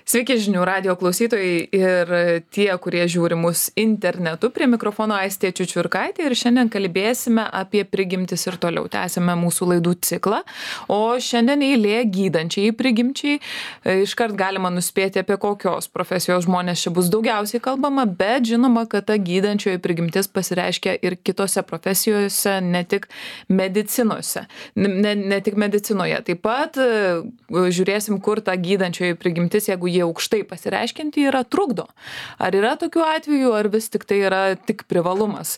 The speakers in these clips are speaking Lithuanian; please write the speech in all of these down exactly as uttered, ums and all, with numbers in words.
Sveiki žinių radijo klausytojai ir tie, kurie žiūri mus internetu. Prie mikrofono Aistė Čiučiurkaitė ir šiandien kalbėsime apie prigimtis ir toliau. Tęsime mūsų laidų ciklą, o šiandien eilė gydančiai prigimčiai. Iškart galima nuspėti, apie kokios profesijos žmonės čia bus daugiausiai kalbama, bet žinoma, kad ta gydančioji prigimtis pasireiškia ir kitose profesijose, ne tik medicinose. Ne, ne tik medicinoje. Taip pat žiūrėsim, kur ta gydančioji prigimtis, jeigu jie aukštai pasireiškinti, yra trukdo. Ar yra tokių atvejų, ar vis tik tai yra tik privalumas?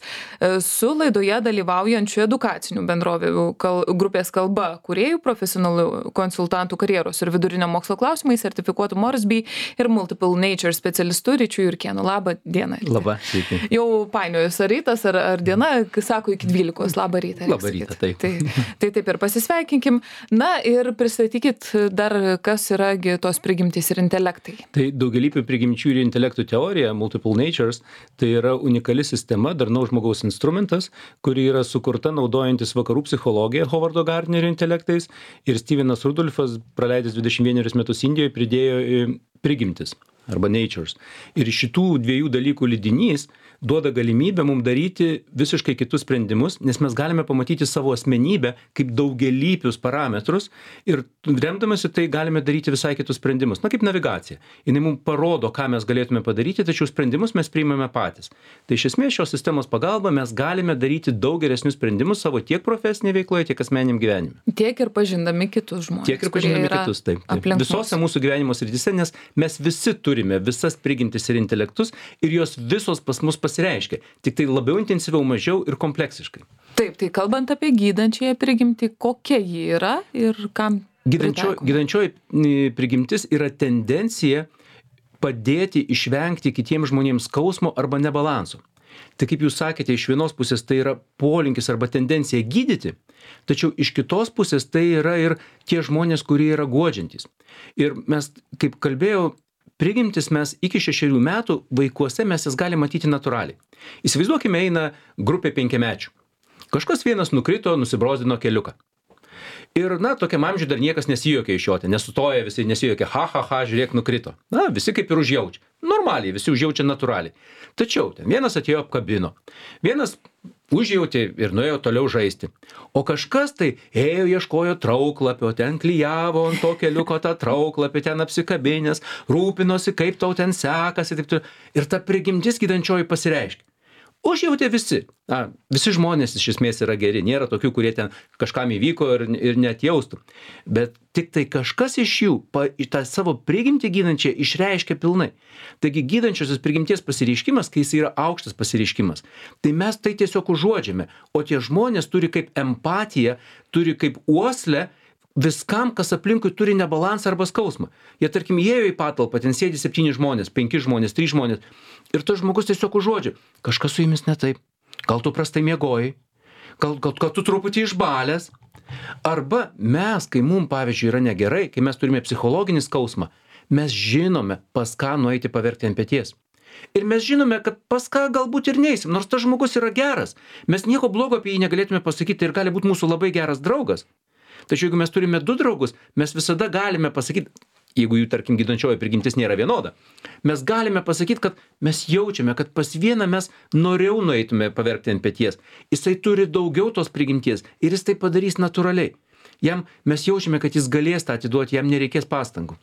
Su laidoje dalyvaujančių edukacinių bendrovių kal, grupės kalba kūrėjų, profesionalių konsultantų karjeros ir vidurinio mokslo klausimai, sertifikuotų Moresby ir Multiple Nature specialistų Ryčiu Jurkėnu. Labą dieną. Labą, sveiki. Jau painiojus, ar rytas, ar, ar diena, sako iki dvylikos. Labą rytą. Labą rytą, taip. Tai, tai taip ir pasisveikinkim. Na ir pristatykit dar, kas yra tos prigimtys ir intelektai. Tai daugialypių prigimčių ir intelektų teorija, Multiple Natures, tai yra unikali sistema, darnaus žmogaus instrumentas, kuri yra sukurta naudojantis vakarų psichologiją Hovardo Gardnerio intelektais, ir Stevenas Rudolfas, praleidęs dvidešimt vienerius metus Indijoje, pridėjo prigimtis arba natures. Ir šitų dviejų dalykų lydinys duoda galimybę mums daryti visiškai kitus sprendimus, nes mes galime pamatyti savo asmenybę kaip daugialypius parametrus ir remdamasi tai galime daryti visai kitus sprendimus. Na, kaip navigacija. Jinai mums parodo, ką mes galėtume padaryti, tačiau sprendimus mes priimame patys. Tai iš esmės šios sistemos pagalba mes galime daryti daug geresnius sprendimus savo tiek profesinėje veikloje, tiek asmeniniam gyvenime. Tiek ir pažindami kitus žmonės. Tiek ir pažindami kitus, taip. taip. Visose mūsų gyvenimo srityse, nes mes visi turime visas prigimtis ir intelektus ir jos visos pas mus pasireiškia, tik tai labiau intensyviau, mažiau ir kompleksiškai. Taip, tai kalbant apie gydančiąją prigimtį, kokia ji yra ir kam Gydančio, gydančioji prigimtis yra tendencija padėti išvengti kitiems žmonėms skausmo arba nebalanso. Tai kaip jūs sakėte, iš vienos pusės tai yra polinkis arba tendencija gydyti, tačiau iš kitos pusės tai yra ir tie žmonės, kurie yra guodžiantys. Ir mes, kaip kalbėjau, prigimtis mes iki šešerių metų vaikuose mes jas galime matyti natūraliai. Įsivaizduokime, eina grupė penkiamečių. Kažkas vienas nukrito, nusibrozdino keliuką. Ir, na, tokiam amžiui dar niekas nesijuokia iš jo, nesustoja visi, nesijuokia, ha, ha, ha, žiūrėk, nukrito. Na, visi kaip ir užjaučia. Normaliai, visi užjaučia natūraliai. Tačiau ten vienas atėjo apkabino. Vienas užjautė ir nuėjo toliau žaisti. O kažkas tai ėjo, ieškojo trauklapio, ten klijavo ant to keliuko tą trauklapį, ten apsikabinęs, rūpinosi, kaip tau ten sekasi. Taip, ir ta prigimtis gydančioji pasireiškia. Užjautė visi. Na, visi žmonės iš esmės yra geri. Nėra tokių, kurie ten kažkam įvyko ir, ir net jaustų. Bet tik tai kažkas iš jų pa, tą savo prigimtį gydančią išreiškia pilnai. Taigi gydančiosios prigimties pasireiškimas, kai jis yra aukštas pasireiškimas, tai mes tai tiesiog užuodžiame. O tie žmonės turi kaip empatiją, turi kaip uoslę viskam, kas aplinkui turi nebalansą arba skausmą. Jie, tarkim, įėjo į patalpą, ten sėdi septyni žmonės, penki žmonės, trys žmonės. Ir tas žmogus tiesiog užuodžia. Kažkas su jumis ne taip. Gal tu prastai miegojai. Gal, gal, gal tu truputį išbalęs. Arba mes, kai mums, pavyzdžiui, yra negerai, kai mes turime psichologinį skausmą, mes žinome, pas ką nueiti paverkti ant peties. Ir mes žinome, kad pas ką galbūt ir neįsim, nors tas žmogus yra geras. Mes nieko blogo apie jį negalėtume pasakyti ir gali būti mūsų labai geras draugas. Tačiau jeigu mes turime du draugus, mes visada galime pasakyti, jeigu jų, tarkim, gydančioji prigimtis nėra vienoda, mes galime pasakyti, kad mes jaučiame, kad pas vieną mes noriau nueitume paverkti ant peties. Jisai turi daugiau tos prigimties ir jis tai padarys natūraliai. Jam mes jaučiame, kad jis galės tą atiduoti, jam nereikės pastangų.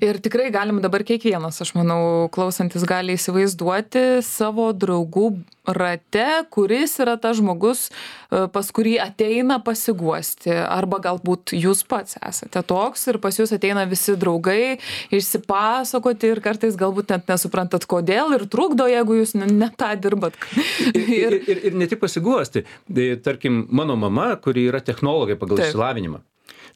Ir tikrai galim dabar kiekvienas, aš manau, klausantis gali įsivaizduoti savo draugų rate, kuris yra tas žmogus, pas kurį ateina pasiguosti. Arba galbūt jūs pats esate toks ir pas jūs ateina visi draugai išsipasakoti ir kartais galbūt net nesuprantat kodėl ir trukdo, jeigu jūs ne tą dirbat. ir, ir, ir, ir ne tik pasiguosti. Tai, tarkim, mano mama, kuri yra technologė pagal išsilavinimą.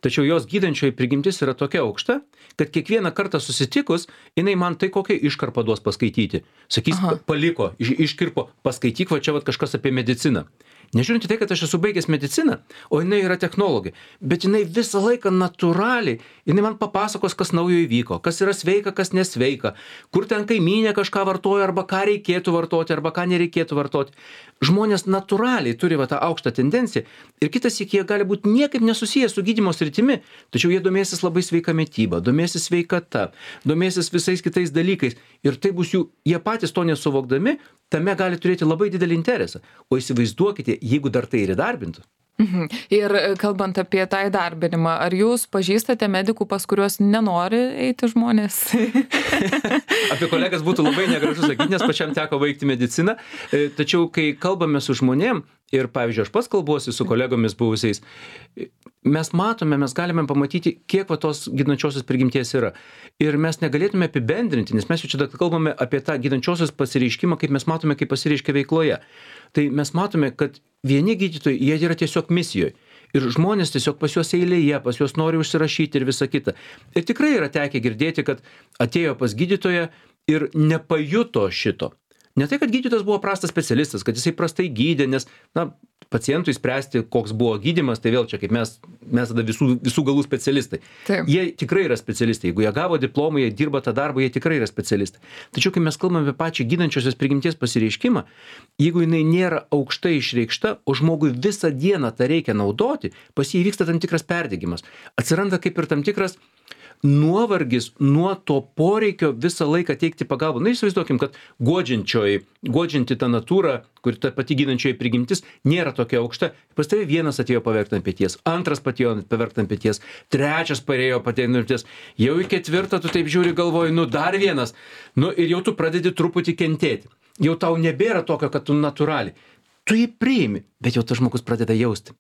Tačiau jos gydančioji prigimtis yra tokia aukšta, kad kiekvieną kartą susitikus, jinai man tai kokią iškarpą duos paskaityti. Sakys, Aha. paliko, iš, iškirpo, paskaityk, va čia va kažkas apie mediciną. Nežiūrint į tai, kad aš esu baigęs mediciną, o jinai yra technologė, bet jinai visą laiką natūraliai, jinai man papasakos, kas naujo įvyko, kas yra sveika, kas nesveika, kur ten kaimynė kažką vartoja, arba ką reikėtų vartoti, arba ką nereikėtų vartoti. Žmonės natūraliai turi va tą aukštą tendenciją ir kitas iki jie gali būti niekaip nesusijęs su gydymo sritimi, tačiau jie domėsis labai sveika mityba, domėsis sveikata, domėsis visais kitais dalykais ir tai bus jų, jie patys to nesuvokdami, tame gali turėti labai didelį interesą. O įsivaizduokite, jeigu dar tai ir įdarbintų. Mhm. Ir kalbant apie tą įdarbinimą, ar jūs pažįstate medikų, pas kuriuos nenori eiti žmonės? Apie kolegas būtų labai negražu sakyti, nes pačiam teko baigti mediciną. Tačiau, kai kalbame su žmonėm, ir pavyzdžiui, aš pats kalbuosi su kolegomis buvusiais, mes matome, mes galime pamatyti, kiek va tos gydančiosios prigimties yra. Ir mes negalėtume apibendrinti, nes mes jau čia kalbame apie tą gydančiosios pasireiškimą, kaip mes matome, kaip pasireiškia veikloje. Tai mes matome, kad vieni gydytojai, jie yra tiesiog misijoje. Ir žmonės tiesiog pas juos eilėje, pas juos nori užsirašyti ir visa kita. Ir tikrai yra tekę girdėti, kad atėjo pas gydytoją ir nepajuto šito. Ne tai, kad gydytojas buvo prastas specialistas, kad jisai prastai gydė, nes, na, pacientui spręsti, koks buvo gydymas, tai vėl čia kaip mes, mes tada visų, visų galų specialistai. Taip. Jie tikrai yra specialistai. Jeigu jie gavo diplomą, jie dirba tą darbą, jie tikrai yra specialistai. Tačiau, kai mes kalbame apie pačią gydančiosios prigimties pasireiškimą, jeigu jinai nėra aukštai išreikšta, o žmogui visą dieną tą reikia naudoti, pas jį vyksta tam tikras perdegimas. Atsiranda kaip ir tam tikras nuovargis nuo to poreikio visą laiką teikti pagalbą. Na, įsivaizduokim, kad guodžiančioji, guodžianti ta natūra, kur ta pati gydančioji prigimtis, nėra tokia aukšta. Pas tavai vienas atėjo paverkti ant peties, antras atėjo paverkti ant peties, trečias parėjo patėjo ant peties, jau į ketvirtą tu taip žiūri galvoji, nu dar vienas, nu ir jau tu pradedi truputį kentėti. Jau tau nebėra tokio, kad tu natūraliai. Tu jį priimi, bet jau tas žmogus pradeda jausti.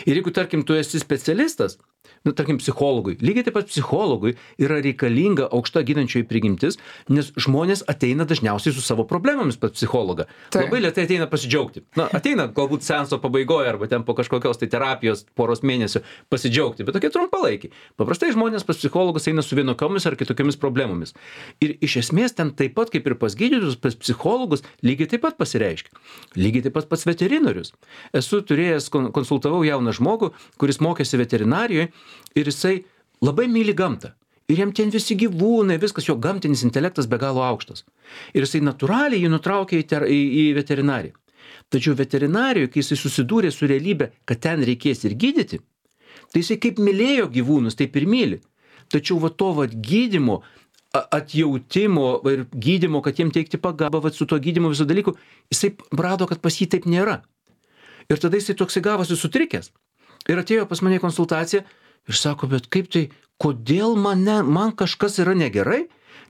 Ir jeigu, tarkim, tu esi specialistas, nu, tarkim, psichologui, lygiai taip pat psichologui yra reikalinga aukšta gydančioji prigimtis, nes žmonės ateina dažniausiai su savo problemomis pas psichologą. Tai. Labai lėtai ateina pasidžiaugti. Na, ateina galbūt seanso pabaigoje arba ten po kažkokios tai terapijos poros mėnesių pasidžiaugti, bet tokie trumpalaikiai. Paprastai žmonės pas psichologus eina su vienokiomis ar kitokiomis problemomis. Ir iš esmės ten taip pat kaip ir pas gydytojus, pas psichologus lygiai taip pat pasireiškia. Lygiai taip pat pas veterinarius. Esu turėjęs, konsultavau jauną žmogų, kuris mokėsi veterinarijoje ir jisai labai myli gamtą. Ir jam ten visi gyvūnai, viskas, jo gamtinis intelektas be galo aukštas. Ir jisai natūraliai jį nutraukė į, ter, į, į veterinariją. Tačiau veterinarijoje, kai jisai susidūrė su realybė, kad ten reikės ir gydyti, tai jisai kaip mylėjo gyvūnus, taip ir myli. Tačiau va to va gydymo, atjautimo ir gydymo, kad jiem teikti pagalbą, va su to gydymo visų dalykų, jisai rado, kad pas jį taip nėra. Ir tada jisai toksai gavosi sutrikęs. Ir atėjo pas mane konsultaciją ir sako, bet kaip tai, kodėl mane, man kažkas yra negerai,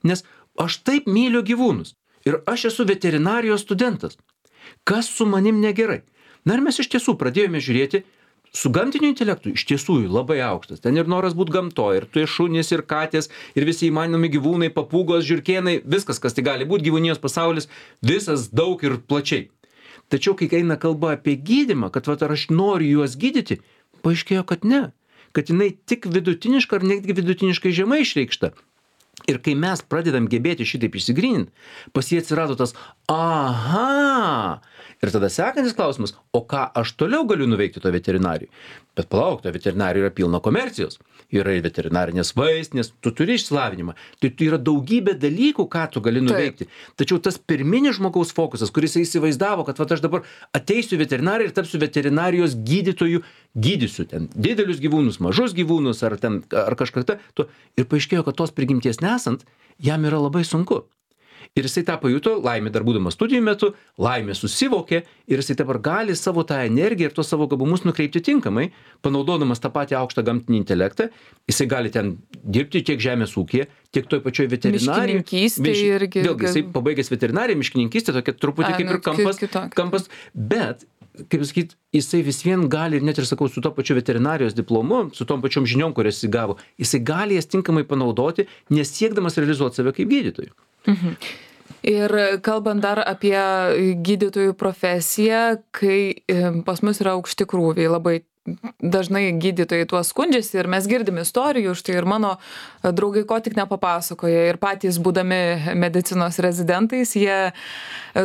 nes aš taip myliu gyvūnus. Ir aš esu veterinarijos studentas. Kas su manim negerai? Na ir mes iš tiesų pradėjome žiūrėti, su gamtiniu intelektu iš tiesų labai aukštas. Ten ir noras būti gamtoje, ir tu šunys, ir katės, ir visi įmanomi gyvūnai, papūgos, žiurkėnai, viskas, kas tai gali būti, gyvūnijos pasaulis, visas daug ir plačiai. Tačiau, kai eina kalba apie gydymą, kad va, ar aš noriu juos gydyti, paaiškėjo, kad ne. Kad jinai tik vidutiniška ar netgi vidutiniškai žemai išreikšta. Ir kai mes pradedam gebėti šitaip išsigryninti, pas jį atsirado tas aha. Ir tada sekantis klausimas, o ką aš toliau galiu nuveikti to veterinarijai? Bet palauk, to veterinarijai yra pilna komercijos. Yra ir veterinarinės vaistinės, tu turi išsilavinimą. Tai yra daugybė dalykų, ką tu gali nuveikti. Taip. Tačiau tas pirminis žmogaus fokusas, kuris įsivaizdavo, kad va, aš dabar ateisiu veterinariją ir tapsiu veterinarijos gydytojų, gydysiu ten didelius gyvūnus, mažus gyvūnus ar, ten, ar kažką tą. Ir paaiškėjo, kad tos prigimties nesant, jam yra labai sunku. Ir jisai tą pajuto, laimė dar būdamas studijų metu, laimė susivokė ir jisai dabar gali savo tą energiją ir tos savo gabumus nukreipti tinkamai, panaudodamas tą patį aukštą gamtinį intelektą, jisai gali ten dirbti tiek žemės ūkyje, tiek toj pačioj veterinarijoje. Miškininkystė irgi. Vėlgi, jisai pabaigęs veterinariją, miškininkystė, tokia truputį A, kaip ir kampas, kampas, bet, kaip sakyt, jisai vis vien gali, net ir sakau, su to pačiu veterinarijos diplomu, su tom pačiom žiniom, kurias jis gavo, jisai gali jas tinkamai panaudoti, nesiekdamas realizuoti save kaip gydytojų. Mhm. Ir kalbant dar apie gydytojų profesiją, kai pas mus yra aukšti krūviai, labai dažnai gydytojai tuo skundžiasi ir mes girdim istorijų, štai ir mano draugai ko tik nepapasakoja ir patys būdami medicinos rezidentais, jie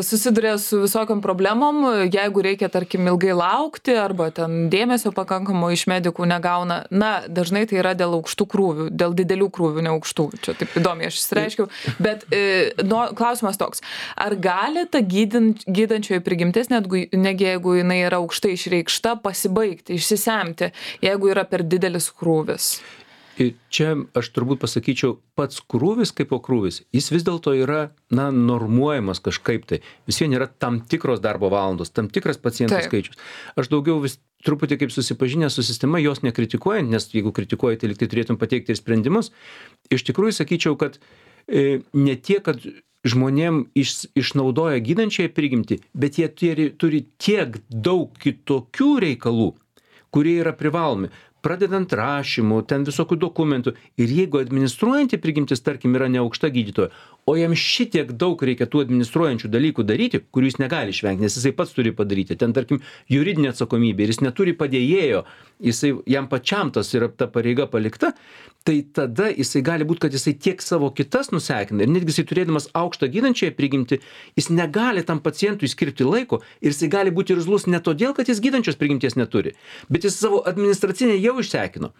susiduria su visokiam problemom, jeigu reikia, tarkim, ilgai laukti arba ten dėmesio pakankamo iš medikų negauna, na, dažnai tai yra dėl aukštų krūvių, dėl didelių krūvių, ne aukštų, čia taip įdomiai aš išsireiškiau, bet e, no, klausimas toks, ar gali ta gydant, gydančioji prigimtis, netgi jeigu jinai yra aukštai išreikšta, pasibaigti, išsisemti, jeigu yra per didelis krūvis? Ir čia aš turbūt pasakyčiau, pats krūvis kaip po krūvis, jis vis dėlto yra, na, normuojamas kažkaip tai. Vis vien yra tam tikros darbo valandos, tam tikras pacientų Taip. skaičius. Aš daugiau vis truputį kaip susipažinęs su sistema, jos nekritikuojant, nes jeigu kritikuoji, tai lyg tai turėtum pateikti ir sprendimus. Iš tikrųjų sakyčiau, kad e, ne tiek, kad žmonėm iš, išnaudoja gydančiąją prigimtį, bet jie turi, turi tiek daug kitokių reikalų, kurie yra privalomi. Pradedant rašymų, ten visokių dokumentų. Ir jeigu administruojanti prigimtis, tarkim, yra neaukšta gydytoja, o jam šitiek daug reikia tų administruojančių dalykų daryti, kurių jis negali išvengti, nes jisai pats turi padaryti. Ten, tarkim, juridinė atsakomybė ir jis neturi padėjėjo, jisai, jam pačiam tas yra ta pareiga palikta, tai tada jisai gali būti, kad jisai tiek savo kitas nusekina ir netgi jisai turėdamas aukštą gydančiąją prigimtį, jis negali tam pacientui skirti laiko ir jisai gali būti irzlus ne todėl, kad jis gydančios prigimties neturi, bet jis savo administracinę jau išsekino.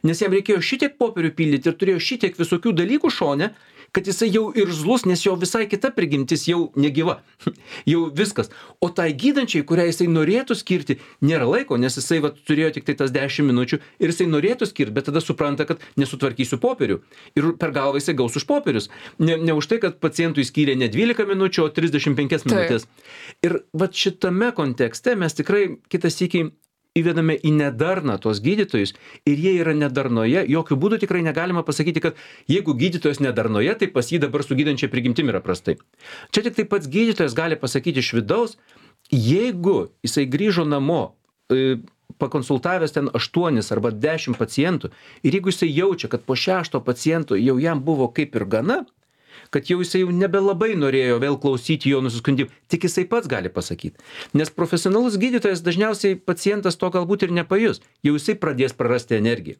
Nes jam reikėjo šitiek popierių pildyti ir turėjo šitiek visokių dalykų šone, kad jisai jau irzlus, nes jo visai kita prigimtis jau negyva. Jau viskas. O tai gydančiai, kurią jisai norėtų skirti, nėra laiko, nes jisai va, turėjo tik tai tas dešimt minučių ir jisai norėtų skirti, bet tada supranta, kad nesutvarkysiu popierių. Ir per galvą jisai gaus už popierius. Ne, ne už tai, kad pacientui skyrė ne dvylika minučių, o trisdešimt penkias minutės. Ir va šitame kontekste mes tikrai kitas sykį įvedame į nedarną tos gydytojus ir jie yra nedarnoje, jokių būdų tikrai negalima pasakyti, kad jeigu gydytojas nedarnoje, tai pas jį dabar su gydančia prigimtim yra prastai. Čia tik tai pats gydytojas gali pasakyti iš vidaus, jeigu jisai grįžo namo, e, pakonsultavęs ten aštuonis arba dešimt pacientų ir jeigu jisai jaučia, kad po šešto paciento jau jam buvo kaip ir gana, kad jau jisai jau nebelabai norėjo vėl klausyti jo nusiskundimų, tik jisai pats gali pasakyti. Nes profesionalus gydytojas dažniausiai pacientas to galbūt ir nepajus, jau jisai pradės prarasti energiją.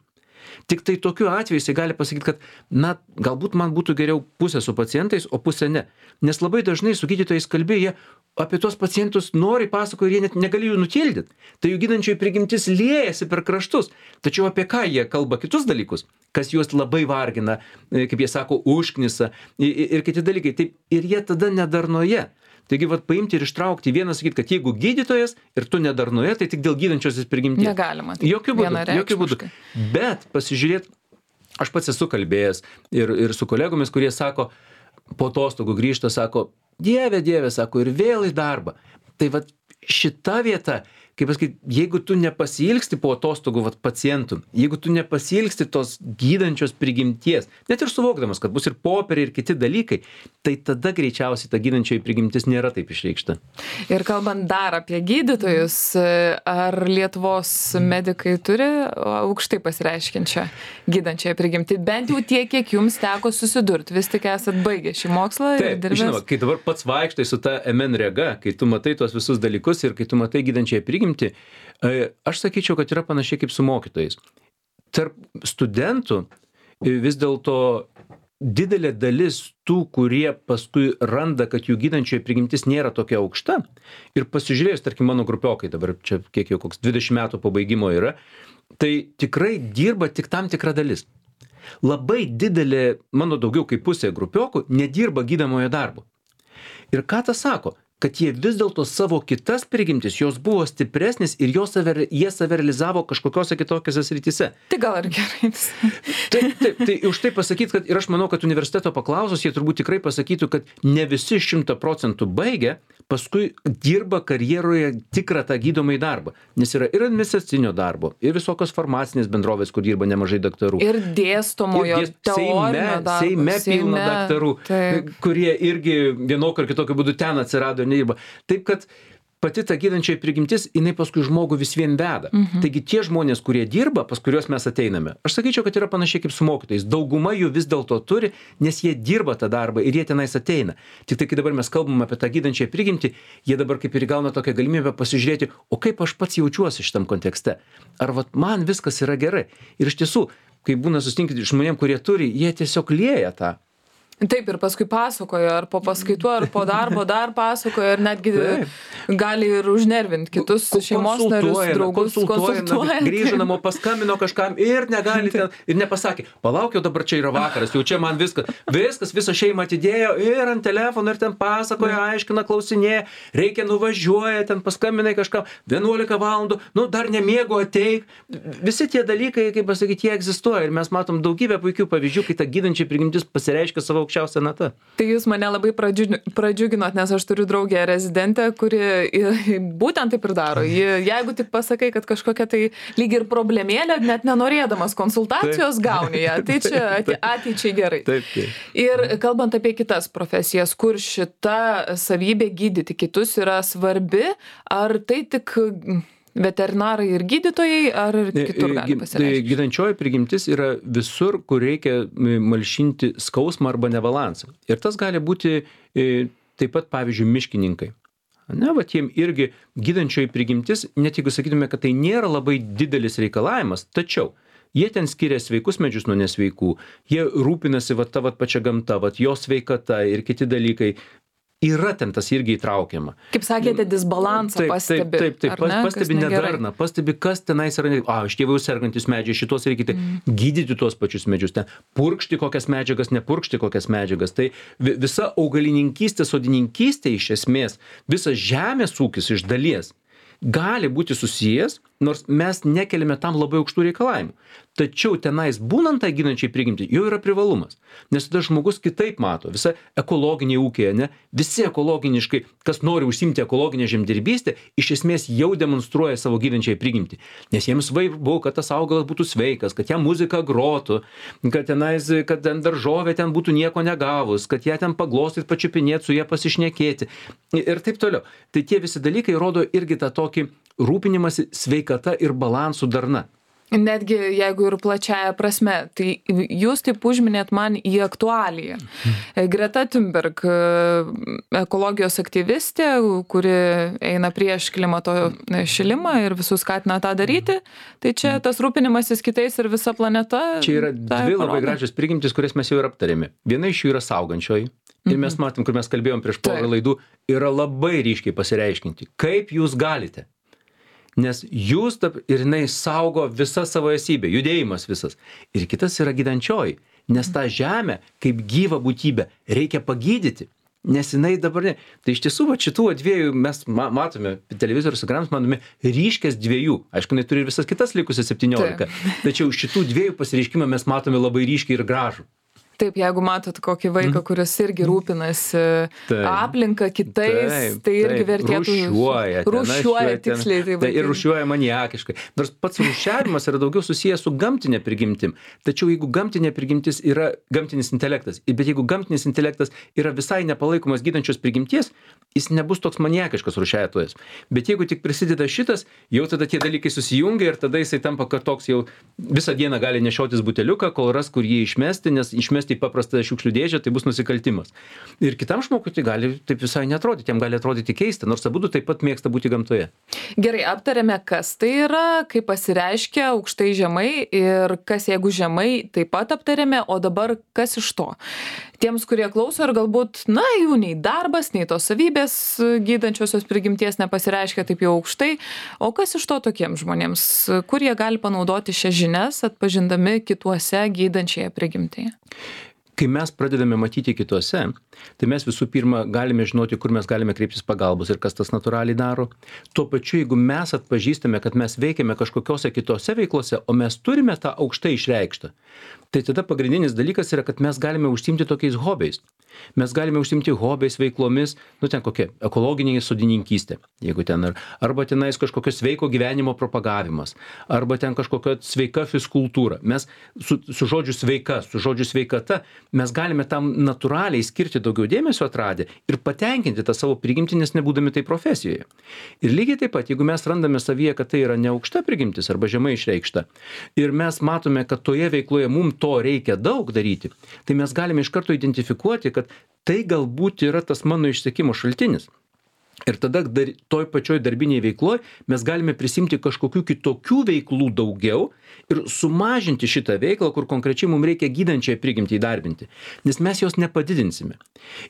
Tik tai tokiu atveju jisai gali pasakyti, kad, na, galbūt man būtų geriau pusė su pacientais, o pusė ne. Nes labai dažnai su gydytojais kalbėjo, jie apie tos pacientus nori pasako ir jie net negali jų nutildyti. Tai jų gydančioji prigimtis liejasi per kraštus. Tačiau apie ką jie kalba kitus dalykus, kas juos labai vargina, kaip jie sako, užknisa ir, ir kiti dalykai. Taip, ir jie tada nedarnoje. Taigi, vat, paimti ir ištraukti vieną, sakyti, kad jeigu gydytojas ir tu nedarnoje, tai tik dėl gydančiosios prigimties. Negalima. Tai jokių būdų, jokių būdų. Bet pasižiūrėt, aš pats esu kalbėjęs ir, ir su kolegomis, kurie sako, po atostogų grįžta, sako, dieve, dieve, sako, ir vėl į darbą. Tai vat šita vieta, kaip pasakyti, jeigu tu nepasiilgsti po atostogų vat, pacientų, jeigu tu nepasiilgsti tos gydančios prigimties, net ir suvokdamas, kad bus ir popieriai ir kiti dalykai, tai tada greičiausiai ta gydančioji prigimtis nėra taip išreikšta. Ir kalbant dar apie gydytojus, ar Lietuvos medikai turi aukštai pasireiškiančią gydančiąją prigimtį? Bent jau tiek, kiek jums teko susidurti, vis tik esat baigę šį mokslą. Taip, žinoma, kai dabar pats vaikštai su ta M N rega, kai tu matai tuos visus dalykus ir kai tu matai gydančiąją prigimtį, aš sakyčiau, kad yra panašiai kaip su mokytojais. Tarp studentų vis dėlto didelė dalis tų, kurie paskui randa, kad jų gydančioji prigimtis nėra tokia aukšta ir pasižiūrėjus, tarkim, mano grupiokai, dabar čia kiek jau koks dvidešimt metų pabaigimo yra, tai tikrai dirba tik tam tikra dalis. Labai didelė, mano daugiau kaip pusė grupiokų, nedirba gydamojo darbo. Ir ką tas sako? Kad jie vis dėlto savo kitas prigimtis, jos buvo stipresnis ir jos save, jie save realizavo kažkokiose kitokiose srityse. Tai gal ir gerai. Taip, taip, tai už tai pasakyti, kad ir aš manau, kad universiteto paklausus, jie turbūt tikrai pasakytų, kad ne visi šimta procentų baigia, paskui dirba karjeroje tikrą tą gydomąjį darbą. Nes yra ir administracinio darbo, ir visokios farmacinės bendrovės, kur dirba nemažai daktarų. Ir dėstomojo, ir dės, teorinio darbo. Seime, seime pilna daktarų, taip. kurie irgi vienokio ar kitokio būdu ten atsirado. Nedirba. Taip, kad pati ta gydančioji prigimtis, jinai paskui žmogų vis vien veda. Mhm. Taigi tie žmonės, kurie dirba, pas kuriuos mes ateiname, aš sakyčiau, kad yra panašiai kaip su mokytojais. Dauguma jų vis dėlto turi, nes jie dirba tą darbą ir jie tenais ateina. Tik tai, kai dabar mes kalbam apie tą gydančią prigimtį, jie dabar kaip ir gauna tokią galimybę pasižiūrėti, o kaip aš pats jaučiuosi šitam kontekste. Ar vat man viskas yra gerai. Ir iš tiesų, kai būna susitinkti žmonėm, kurie turi, jie tiesiog lieja tą. Taip, ir paskui pasakojo, ar po paskaitų, ar po darbo dar pasakojo, ir netgi Taip. gali ir užnervinti kitus šeimos narius, draugus, konsultuoja. Grįžo namo, paskambino kažkam ir negali ten, ir nepasakė, palaukiau, dabar čia yra vakaras, jau čia man viskas, viskas, visą šeimą atidėjo ir ant telefono, ir ten pasakoja, aiškina, klausinėja, reikia nuvažiuoja, ten paskambinai kažkam, vienuolika valandų, nu dar nemiego ateik. Visi tie dalykai, kaip pasakyti, jie egzistuoja ir mes matom daugybę puikių pavyzdžių, kai ta gydančia prigimtis pasireiškia savo aukščiausia nata. Tai jūs mane labai pradžiuginot, nes aš turiu draugę rezidentę, kuri būtent taip ir daro. Jeigu tik pasakai, kad kažkokia tai lyg ir problemėlė, net nenorėdamas konsultacijos taip. Gauni ją, tai čia ateičiai gerai. Taip, taip. Ir kalbant apie kitas profesijas, kur šita savybė gydyti kitus yra svarbi, ar tai tik veterinarai ir gydytojai, ar ir kitur gali pasireikšti? Gydančioji prigimtis yra visur, kur reikia malšinti skausmą arba nebalansą. Ir tas gali būti taip pat, pavyzdžiui, miškininkai. Ne, va, tiem irgi gydančioji prigimtis, net jeigu sakytume, kad tai nėra labai didelis reikalavimas, tačiau jie ten skiria sveikus medžius nuo nesveikų, jie rūpinasi va, ta va, pačia gamta, va, jos sveikata ir kiti dalykai. Yra ten tas irgi įtraukiama. Kaip sakėte, disbalansą taip, pastebi. Taip, taip, taip. Ne? Pastebi nedarną, pastebi, kas tenais yra. A, šitie jau sergantis medžiai, šitos reikia mm. gydyti tuos pačius medžius, ten purkšti kokias medžiagas, nepurkšti kokias medžiagas. Tai visa augalininkystė, sodininkystė iš esmės, visas žemės ūkis iš dalies gali būti susijęs, nors mes nekeliame tam labai aukštų reikalavimų. Tačiau tenais būnant tą gydančiai prigimtį jau yra privalumas. Nes tada žmogus kitaip mato. Visa ekologiniai ūkiai, ne? Visi ekologiniškai, kas nori užsimti ekologinę žemdirbystę, iš esmės jau demonstruoja savo gydančiai prigimtį. Nes jiems svarbu, kad tas augalas būtų sveikas, kad jam muzika grotų, kad tenais, kad ten daržovė ten būtų nieko negavus, kad ją ten paglostyt, pačiupinėti, su ją pasišnekėti ir taip toliau. Tai tie visi dalykai rodo irgi tą tokį rūpinimąsi sveikata ir balansų darna. Netgi jeigu ir plačiaja prasme, tai jūs taip užminėt man į aktualiją. Greta Thunberg, ekologijos aktyvistė, kuri eina prieš klimato šilimą ir visus skatina tą daryti, tai čia tas rūpinimasis kitais ir visa planeta. Čia yra dvi labai gražios prigimtis, kurias mes jau ir aptarėme. Viena iš jų yra saugančioji. Ir mes matom, kur mes kalbėjom prieš porą laidų, yra labai ryškiai pasireiškinti. Kaip jūs galite? Nes jūs ir jinai saugo visą savo esybę, judėjimas visas. Ir kitas yra gydančioji, nes tą žemę kaip gyvą būtybę reikia pagydyti, nes jinai dabar ne. Tai iš tiesų, va, šitų dviejų mes matome, televizorius ekranas matome ryškės dviejų. Aišku, jinai turi ir visas kitas likusias septyniolika. Tačiau šitų dviejų pasireiškimą mes matome labai ryškiai ir gražų. Taip, jeigu matot kokį vaiką, kuris irgi rūpinasi taip, aplinką kitais, taip, tai irgi vertėtų... Rūšiuoja. Rūšiuoja, tiksliai. Tai, tai ir rūšiuoja maniakiškai. Nors pats rūšiavimas yra daugiau susijęs su gamtinė prigimtim. Tačiau jeigu gamtinė prigimtis yra gamtinis intelektas, bet jeigu gamtinis intelektas yra visai nepalaikomas gydančios prigimties, jis nebus toks maniakiškas rūšiuotojas. Bet jeigu tik prisideda šitas, jau tada tie dalykai susijungia ir tada jisai tampa, kad toks jau visą dieną gali nešiotis buteliuką, kol ras, kur jį išmesti, nes išmesti į paprastą šiukšlių dėžę, tai bus nusikaltimas. Ir kitam žmogui tai gali taip visai netrodyti, jam gali atrodyti keista, nors abudu taip pat mėgsta būti gamtoje. Gerai, aptarėme, kas tai yra, kaip pasireiškia aukštai žemai ir kas jeigu žemai taip pat aptarėme, o dabar kas iš to. Tiems, kurie klauso ir galbūt, na, jų nei darbas, nei tos savybės gydančiosios prigimties nepasireiškia taip jau aukštai, o kas iš to tokiems žmonėms, kur jie gali panaudoti šias žinias, atpažindami kituose gydančiąją prigimtį? Kai mes pradedame matyti kituose, tai mes visų pirma galime žinoti, kur mes galime kreiptis pagalbos ir kas tas natūraliai daro. Tuo pačiu, jeigu mes atpažįstame, kad mes veikiame kažkokiose kitose veiklose, o mes turime tą aukštai išreikštą, Tai tada pagrindinis dalykas yra, kad mes galime užsiimti tokiais hobiais. Mes galime užsiimti hobiais, veiklomis, nu ten kokia ekologinė sodininkystė, jeigu ten, ar, arba tenais kažkokio sveiko gyvenimo propagavimas, arba ten kažkokia sveika fiskultūra. Mes su, su žodžiu sveika, su žodžiu sveikata, mes galime tam natūraliai skirti daugiau dėmesio atradę ir patenkinti tą savo prigimtį, nes nebūdami tai profesijoje. Ir lygiai taip pat, jeigu mes randame savyje, kad tai yra neaukšta prigimtis arba žemai išreikšta, ir mes matome, kad toje veikloje mums to reikia daug daryti, tai mes galime iš karto identifikuoti, kad tai galbūt yra tas mano išsekimo šaltinis. Ir tada dar, toj pačioj darbinėje veikloje mes galime prisimti kažkokių kitokių veiklų daugiau ir sumažinti šitą veiklą, kur konkrečiai mums reikia gydančią prigimtį įdarbinti. Nes mes jos nepadidinsime.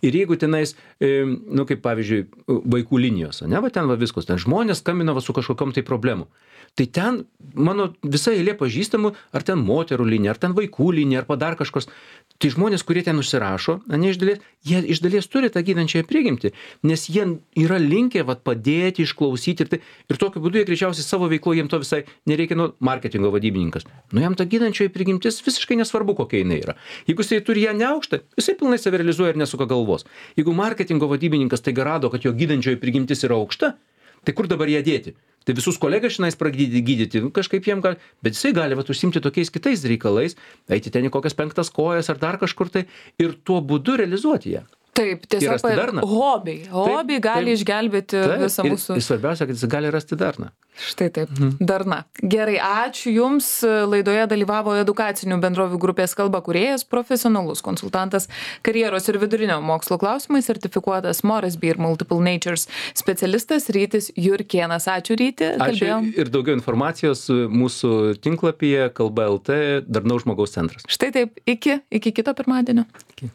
Ir jeigu tenais, e, nu kaip pavyzdžiui, vaikų linijos, ne, va ten va viskas, ten žmonės skambina va su kažkokiom tai problemu. Tai ten mano visa eilė pažįstamų, ar ten moterų linija, ar ten vaikų linija, ar dar kažkos. Tai žmonės, kurie ten užsirašo, ne iš dalies, jie iš dalies turi tą gydančiąją prigimtį, nes jie yra linkę vat, padėti, išklausyti ir, tai, ir tokiu būdu jie greičiausiai savo veiklo, jiems to visai nereikia, nu, marketingo vadybininkas. Nu, jam ta gydančioji prigimtis visiškai nesvarbu, kokia jinai yra. Jeigu jisai turi ją neaukštą, jisai pilnai save realizuoja ir nesuka galvos. Jeigu marketingo vadybininkas tai rado, kad jo gydančioji prigimtis yra aukšta, tai kur dabar ją dėti? Tai visus kolegas šiandien pradėti gydyti, kažkaip jiem gali, bet jisai gali vat, užsimti tokiais kitais reikalais, eiti ten į kokias penktas kojas ar dar kažkur tai ir tuo būdu realizuoti ją. Taip, tiesiog hobiai. Hobiai gali taip, išgelbėti taip, visą ir, mūsų. Ir svarbiausia, kad jis gali rasti darną. Štai taip, mhm. darna. Gerai, ačiū Jums. Laidoje dalyvavo edukacinių bendrovių grupės kalba kūrėjas, profesionalus konsultantas, karjeros ir vidurinio mokslo klausimais sertifikuotas Moresby ir Multiple Natures specialistas Rytis Jurkėnas. Ačiū Ryti. Ačiū Kalbėjom. Ir daugiau informacijos mūsų tinklapyje kalba L T Darnaus žmogaus centras. Štai taip, iki, iki kito pirmadienio. Iki.